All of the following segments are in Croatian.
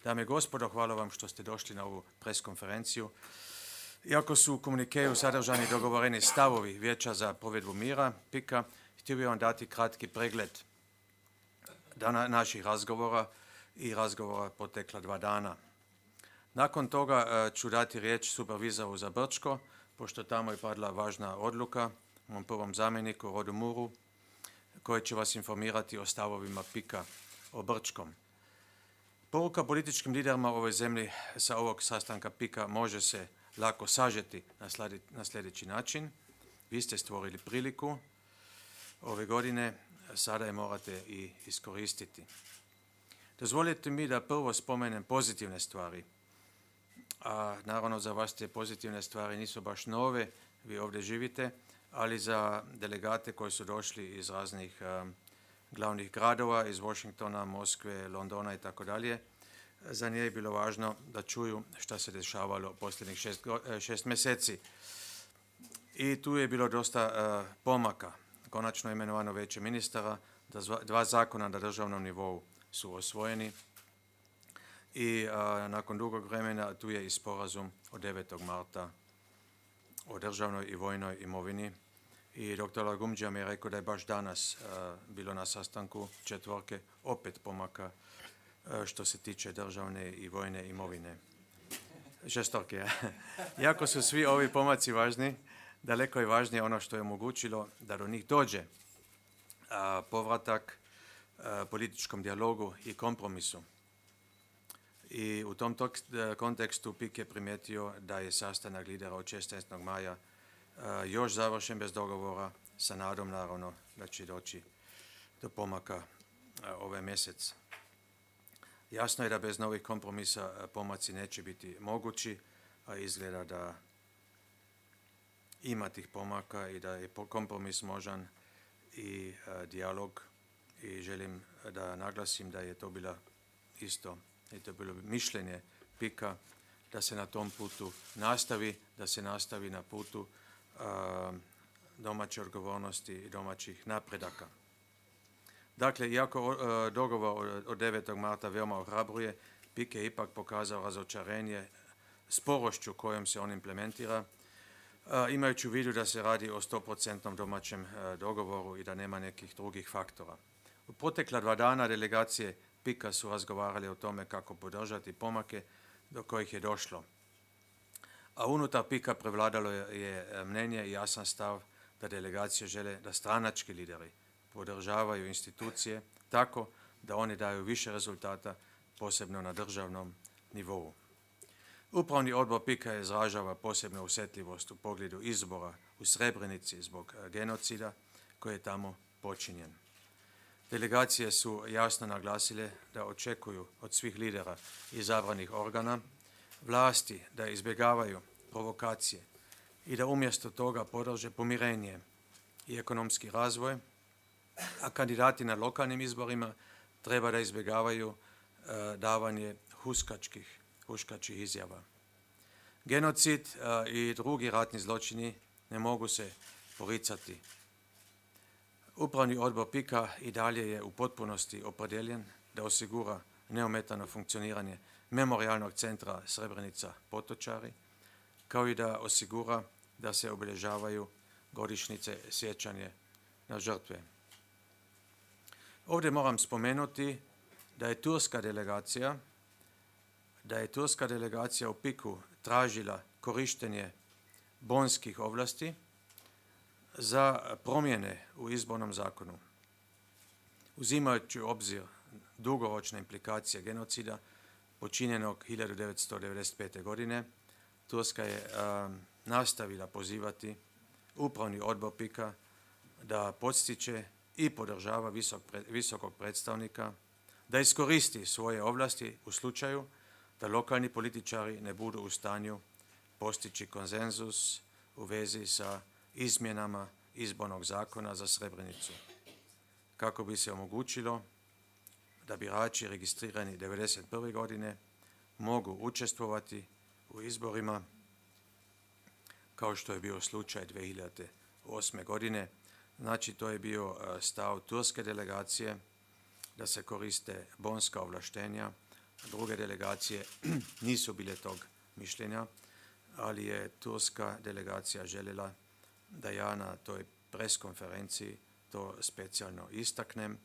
Dame i gospodo, hvala vam što ste došli na ovu preskonferenciju. Iako su u komunikeju sadržani dogovoreni stavovi Vijeća za provedbu mira, PIK-a, htio bih vam dati kratki pregled naših razgovora i razgovora protekla 2 dana. Nakon toga ću dati riječ supervizoru za Brčko, pošto tamo je padla važna odluka, mom prvom zamjeniku Rodu Muru, koji će vas informirati o stavovima PIK-a o Brčkom. Poruka političkim liderima u ovoj zemlji sa ovog sastanka PIK-a može se lako sažeti na sljedeći način. Vi ste stvorili priliku ove godine, sada je morate i iskoristiti. Dozvolite mi da prvo spomenem pozitivne stvari. A naravno za vas te pozitivne stvari nisu baš nove, vi ovdje živite, ali za delegate koji su došli iz raznih glavnih gradova, iz Washingtona, Moskve, Londona i tako dalje, za nje je bilo važno da čuju šta se dešavalo posljednjih 6 mjeseci. I tu je bilo dosta pomaka. Konačno je imenovano Vijeće ministara, 2 zakona na državnom nivou su osvojeni i nakon dugog vremena tu je i sporazum od 9. marta o državnoj i vojnoj imovini. I dr. Lagumđija mi je rekao da je baš danas bilo na sastanku 4 opet pomaka što se tiče državne i vojne imovine. 6. Iako su svi ovi pomaci važni, daleko je važnije ono što je omogućilo da do njih dođe povratak političkom dijalogu i kompromisu. I u tom kontekstu PIK je primijetio da je sastanak lidera od 16. maja još završen bez dogovora, sa nadom naravno da će doći do pomaka ovaj mjesec. Jasno je da bez novih kompromisa pomaci neće biti mogući, a izgleda da ima tih pomaka i da je kompromis možan i dijalog. I želim da naglasim da je to bila isto, i to bilo mišljenje PIK-a da se na tom putu nastavi, da se nastavi na putu domaće odgovornosti i domaćih napredaka. Dakle, iako dogovor od 9. marta veoma ohrabruje, PIK je ipak pokazao razočarenje sporošću kojom se on implementira, imajući u vidu da se radi o 100% domaćem dogovoru i da nema nekih drugih faktora. U protekla 2 dana delegacije PIK-a su razgovarali o tome kako podržati pomake do kojih je došlo. A unutar PIK-a prevladalo je mnenje i jasan stav da delegacije žele da stranački lideri podržavaju institucije tako da oni daju više rezultata, posebno na državnom nivou. Upravni odbor PIK-a izražava posebnu osjetljivost u pogledu izbora u Srebrenici zbog genocida koji je tamo počinjen. Delegacije su jasno naglasile da očekuju od svih lidera izabranih organa vlasti da izbjegavaju provokacije i da umjesto toga podrže pomirenje i ekonomski razvoj, a kandidati na lokalnim izborima treba da izbjegavaju davanje huškačkih izjava. Genocid i drugi ratni zločini ne mogu se poricati. Upravni odbor PIK-a i dalje je u potpunosti opredjeljen da osigura neometano funkcioniranje memorijalnog centra Srebrenica Potočari, kao i da osigura da se obilježavaju godišnjice sjećanje na žrtve. Ovdje moram spomenuti da je turska delegacija u PIK-u tražila korištenje bonskih ovlasti za promjene u izbornom zakonu. Uzimajući u obzir dugoročne implikacije genocida počinjenog 1995. godine, Turska je nastavila pozivati upravni odbor PIK-a da podstiče i podržava visokog predstavnika, da iskoristi svoje ovlasti u slučaju da lokalni političari ne budu u stanju postići konsenzus u vezi sa izmjenama izbornog zakona za Srebrenicu, kako bi se omogućilo da birači registrirani 1991. godine mogu učestvovati u izborima kao što je bio slučaj 2008. godine. Znači, to je bio stav turske delegacije da se koriste bonska ovlaštenja Druge delegacije nisu bile tog mišljenja, ali je turska delegacija željela da ja na toj preskonferenciji to specijalno istaknem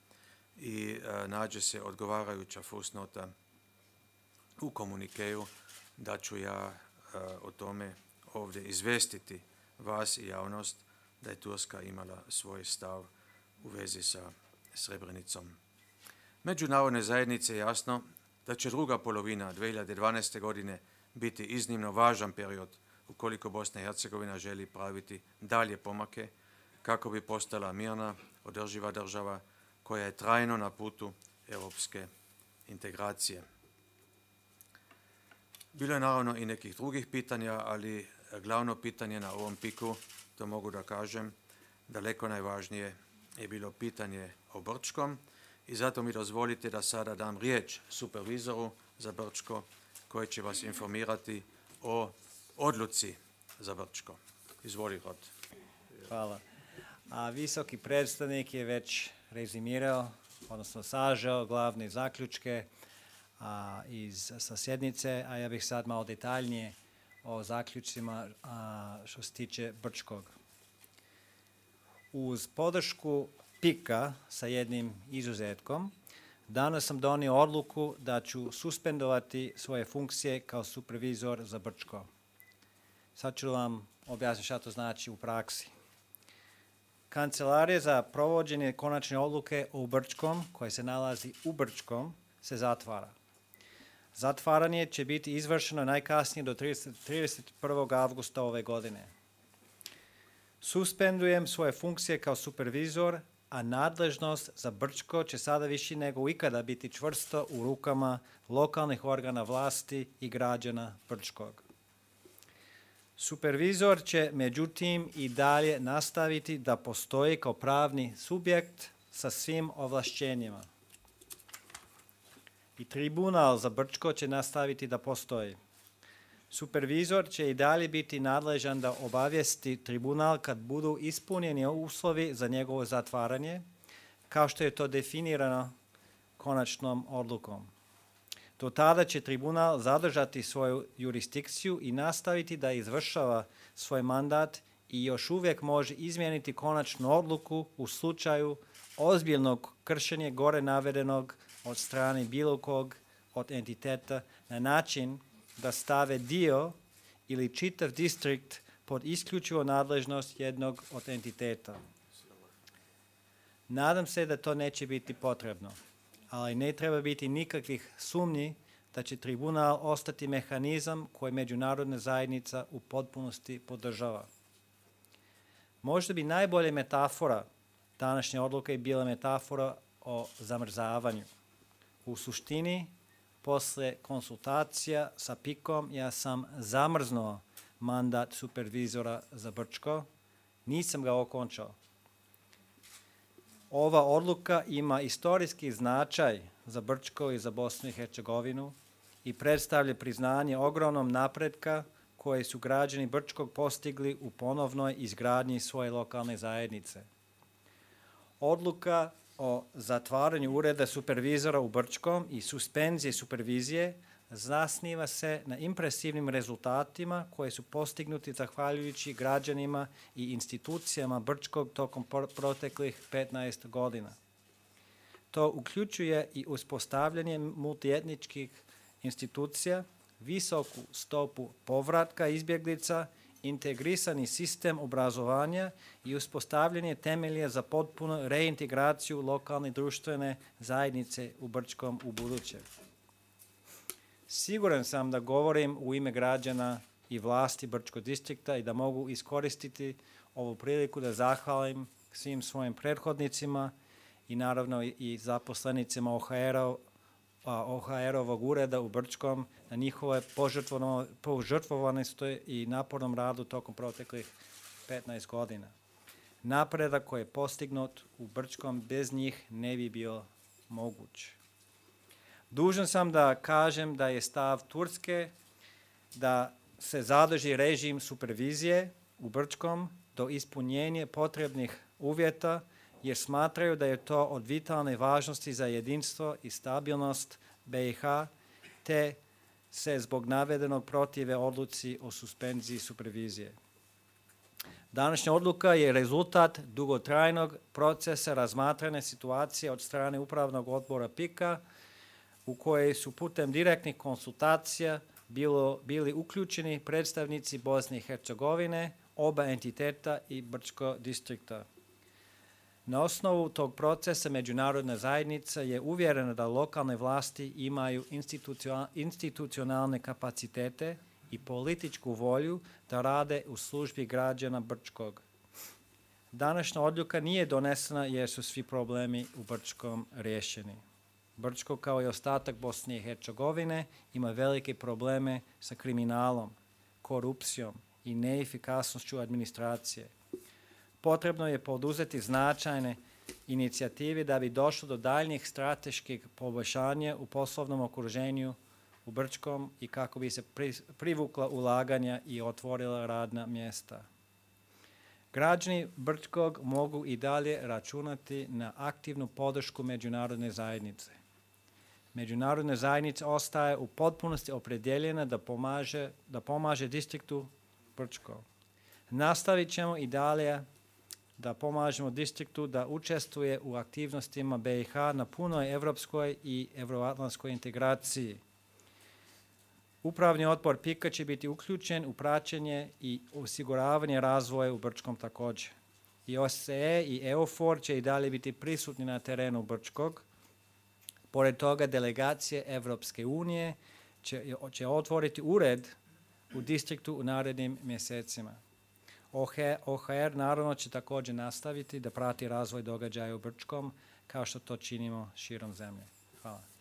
i nađe se odgovarajuća fusnota u komunikeju da ću ja o tome ovdje izvestiti vas i javnost da je Turska imala svoj stav u vezi sa Srebrenicom. Međunarodne zajednice je jasno da će druga polovina 2012. godine biti iznimno važan period ukoliko Bosna i Hercegovina želi praviti dalje pomake kako bi postala mirna, održiva država koja je trajno na putu europske integracije. Bilo je naravno i nekih drugih pitanja, ali glavno pitanje na ovom piku, to mogu da kažem, daleko najvažnije je bilo pitanje o Brčkom i zato mi dozvolite da sada dam riječ supervizoru za Brčko koji će vas informirati o odluci za Brčko. Izvoli, Rod. Hvala. Visoki predstavnik je već rezimirao, odnosno sažao glavne zaključke sa sjednice, a ja bih sad malo detaljnije o zaključcima što se tiče Brčkog. Uz podršku PIK-a sa jednim izuzetkom, danas sam donio odluku da ću suspendovati svoje funkcije kao supervizor za Brčko. Sad ću vam objasniti šta to znači u praksi. Kancelarija za provođenje konačne odluke u Brčkom, koja se nalazi u Brčkom, se zatvara. Zatvaranje će biti izvršeno najkasnije do 31. avgusta ove godine. Suspendujem svoje funkcije kao supervizor, a nadležnost za Brčko će sada više nego ikada biti čvrsto u rukama lokalnih organa vlasti i građana Brčkog. Supervizor će međutim i dalje nastaviti da postoji kao pravni subjekt sa svim ovlašćenjima. I tribunal za Brčko će nastaviti da postoji. Supervizor će i dalje biti nadležan da obavijesti tribunal kad budu ispunjeni uslovi za njegovo zatvaranje, kao što je to definirano konačnom odlukom. Do tada će tribunal zadržati svoju jurisdikciju i nastaviti da izvršava svoj mandat i još uvijek može izmijeniti konačnu odluku u slučaju ozbiljnog kršenja gore navedenog od strane bilo kog od entiteta na način da stave dio ili čitav distrikt pod isključivo nadležnost jednog od entiteta. Nadam se da to neće biti potrebno, ali ne treba biti nikakvih sumnji da će tribunal ostati mehanizam koji međunarodna zajednica u potpunosti podržava. Možda bi najbolja metafora današnje odluke bila metafora o zamrzavanju. U suštini, posle konsultacija sa PIK-om, ja sam zamrznuo mandat supervizora za Brčko, nisam ga okončao. Ova odluka ima istorijski značaj za Brčko i za Bosnu i Hercegovinu i predstavlja priznanje ogromnom napretka koje su građani Brčkog postigli u ponovnoj izgradnji svoje lokalne zajednice. Odluka o zatvaranju ureda supervizora u Brčkom i suspenzije supervizije zasniva se na impresivnim rezultatima koje su postignuti zahvaljujući građanima i institucijama Brčkog tokom proteklih 15 godina. To uključuje i uspostavljanje multietničkih institucija, visoku stopu povratka izbjeglica, integrisani sistem obrazovanja i uspostavljanje temelja za potpunu reintegraciju lokalne društvene zajednice u Brčkom u buduće. Siguran sam da govorim u ime građana i vlasti Brčkog distrikta i da mogu iskoristiti ovu priliku da zahvalim svim svojim prethodnicima i naravno i zaposlenicima OHR-ovog ureda u Brčkom na njihove požrtvovanosti i napornom radu tokom proteklih 15 godina. Napredak koji je postignut u Brčkom bez njih ne bi bio moguć. Dužan sam da kažem da je stav Turske da se zadrži režim supervizije u Brčkom do ispunjenja potrebnih uvjeta jer smatraju da je to od vitalne važnosti za jedinstvo i stabilnost BiH te se zbog navedenog protive odluci o suspenziji supervizije. Današnja odluka je rezultat dugotrajnog procesa razmatrane situacije od strane Upravnog odbora PIK-a u kojoj su putem direktnih konsultacija bili uključeni predstavnici Bosne i Hercegovine, oba entiteta i Brčko distrikta. Na osnovu tog procesa međunarodna zajednica je uvjerena da lokalne vlasti imaju institucionalne kapacitete i političku volju da rade u službi građana Brčkog. Današnja odluka nije donesena jer su svi problemi u Brčkom riješeni. Brčko, kao i ostatak Bosne i Hercegovine, ima velike probleme sa kriminalom, korupcijom i neefikasnošću administracije. Potrebno je poduzeti značajne inicijative da bi došlo do daljnjih strateških poboljšanja u poslovnom okruženju u Brčkom i kako bi se privukla ulaganja i otvorila radna mjesta. Građani Brčkog mogu i dalje računati na aktivnu podršku međunarodne zajednice. Međunarodna zajednica ostaje u potpunosti opredjeljena da pomaže distriktu Brčko. Nastavit ćemo i dalje da pomažemo distriktu da učestvuje u aktivnostima BiH na punoj evropskoj i euroatlantskoj integraciji. Upravni odbor PIK-a će biti uključen u praćenje i osiguravanje razvoja u Brčkom također. I OSCE i EUFOR će i dalje biti prisutni na terenu Brčkog. Pored toga, delegacije Evropske unije će otvoriti ured u distriktu u narednim mjesecima. OHR naravno će također nastaviti da prati razvoj događaja u Brčkom kao što to činimo širom zemlje. Hvala.